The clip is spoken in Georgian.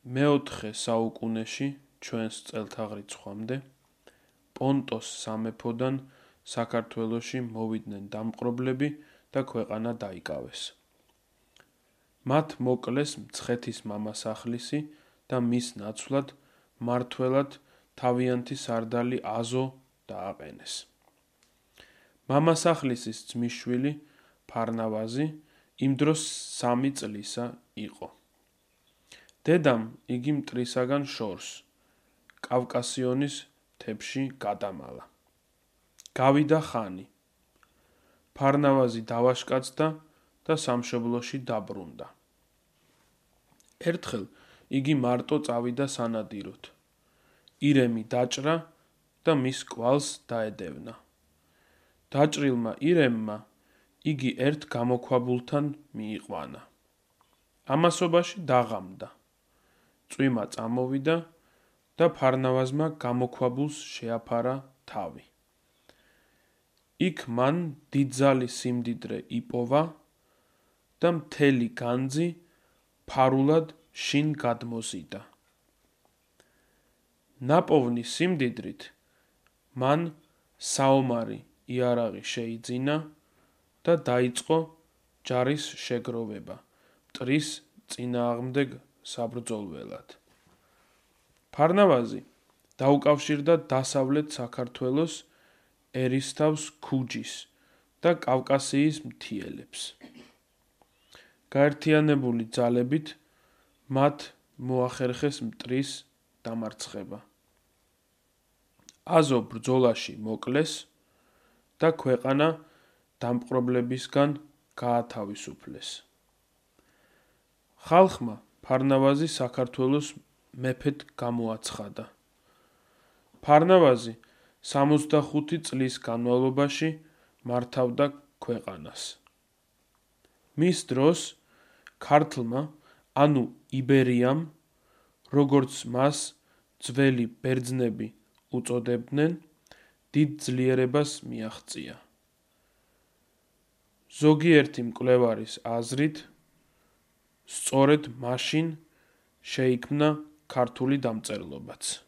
მეოთხე საუკუნეში ჩვენს წელთაღრიცხვამდე პონტოს სამეფოდან საქართველოში მოვიდნენ დამპყრობლები და ქვეყანა დაიკავეს. მათ მოკლეს მცხეთის მამასახლისი და მის ნაცვლად მმართველად თავიანთი სარდალი აზო დააყენეს. მამასახლისის ძმისშვილი ფარნავაზი იმ დროს 3 წლისა იყო. დედამ იგი მტრისაგან შორს, კავკასიონის მთებში გადამალა. გავიდა ხანი. ფარნავაზი დავაშკაცდა და სამშობლოში დაბრუნდა. ერთხელ იგი მარტო წავიდა სანადიროდ. ირემი დაჭრა და მის კვალს დაედევნა. დაჭრილმა ირემმა იგი ერთ გამოქვაბულთან მიიყვანა. ამასობაში დაღამდა. წვიმა წამოვიდა და ფარნავაზმა გამოქვაბულს შეაფარა თავი. იქ მან დიდძალი სიმდიდრე იპოვა და მთელი განძი ფარულად შინ გადმოზიდა. ნაპოვნი სიმდიდრით მან საომარი იარაღი შეიძინა და დაიწყო ჯარის შეგროვება მტრის წინააღმდეგ საბრძოლველად. ფარნავაზი დაუკავშირდა დასავლეთ საქართველოს ერისთავს ქუჯის და კავკასიის მთიელებს. გაერთიანებული ძალებით მათ მოახერხეს მტრის დამარცხება. აზო ბრძოლაში მოკლეს და ქვეყანა დამპყრობლებისგან გაათავისუფლეს. ხალხმა ფარნავაზი საქართველოს მეფედ გამოაცხადა. ფარნავაზი 65 წლის განმავლობაში მართავდა ქვეყანას. მის დროს ქართლმა, ანუ იბერიამ, როგორც მას ძველი ბერძნები უწოდებდნენ, დიდ ძლიერებას მიაღწია. ზოგიერთი მკვლევარის აზრით, სწორედ მაშინ შეიქმნა ქართული დამწერლობაც.